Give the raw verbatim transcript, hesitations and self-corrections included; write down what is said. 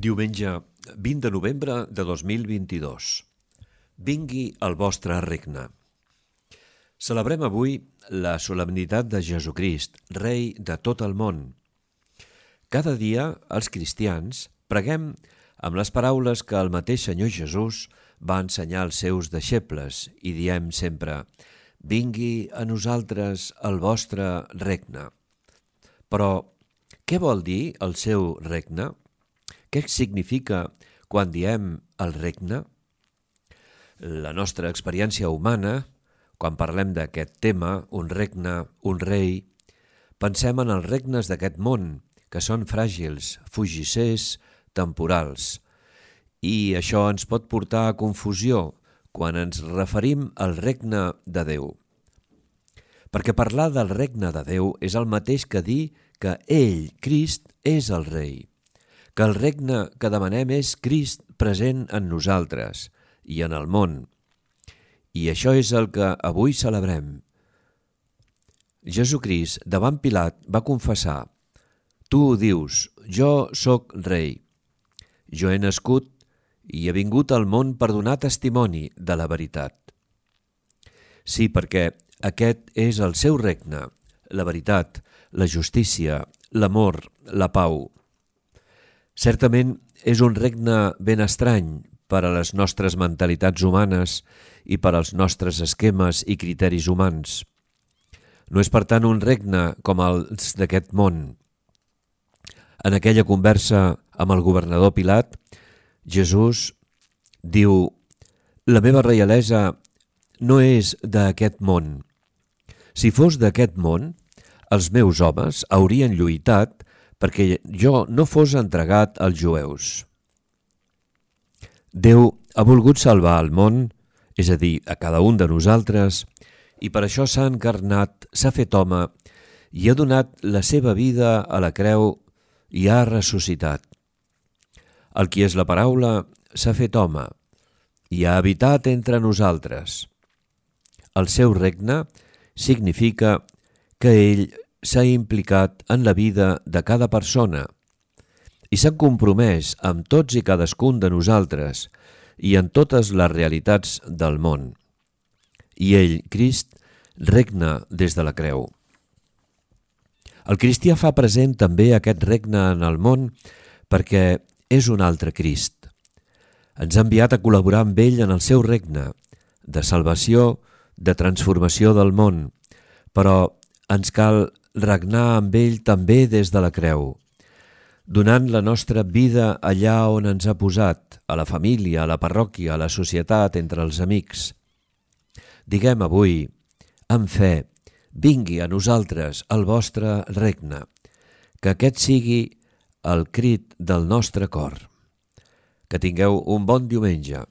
Diumenge vint de novembre de dos mil vint-i-dos. Vingui el vostre regne. Celebrem avui la solemnitat de Jesucrist, Rei de tot el món. Cada dia, els cristians, preguem amb les paraules que el mateix Senyor Jesús va ensenyar als seus deixebles i diem sempre: «Vingui a nosaltres el vostre regne». Però què vol dir el seu regne? Què significa quan diem el regne? La nostra experiència humana, quan parlem d'aquest tema, un regne, un rei, pensem en els regnes d'aquest món, que són fràgils, fugissers, temporals. I això ens pot portar a confusió quan ens referim al regne de Déu. Perquè parlar del regne de Déu és el mateix que dir que ell, Crist, és el rei. Que el regne que demanem és Crist present en nosaltres i en el món. I això és el que avui celebrem. Jesucrist, davant Pilat, va confessar: «Tu ho dius, jo sóc rei. Jo he nascut i he vingut al món per donar testimoni de la veritat». Sí, perquè aquest és el seu regne, la veritat, la justícia, l'amor, la pau. Certament és un regne ben estrany per a les nostres mentalitats humanes i per als nostres esquemes i criteris humans. No és per tant un regne com els d'aquest món. En aquella conversa amb el governador Pilat, Jesús diu: «La meva reialesa no és d'aquest món. Si fos d'aquest món, els meus homes haurien lluitat perquè jo no fos entregat als jueus». Déu ha volgut salvar el món, és a dir, a cada un de nosaltres, i per això s'ha encarnat, s'ha fet home i ha donat la seva vida a la creu i ha ressuscitat. El qui és la paraula s'ha fet home i ha habitat entre nosaltres. El seu regne significa que ell s'ha implicat en la vida de cada persona i s'ha compromès amb tots i cadascun de nosaltres i en totes les realitats del món. I ell, Crist, regna des de la creu. El cristià fa present també aquest regne en el món perquè és un altre Crist. Ens ha enviat a col·laborar amb ell en el seu regne, de salvació, de transformació del món, però ens cal regnar amb ell també des de la creu, donant la nostra vida allà on ens ha posat, a la família, a la parròquia, a la societat, entre els amics. Diguem avui, amb fe: «Vingui a nosaltres el vostre regne», que aquest sigui el crit del nostre cor. Que tingueu un bon diumenge.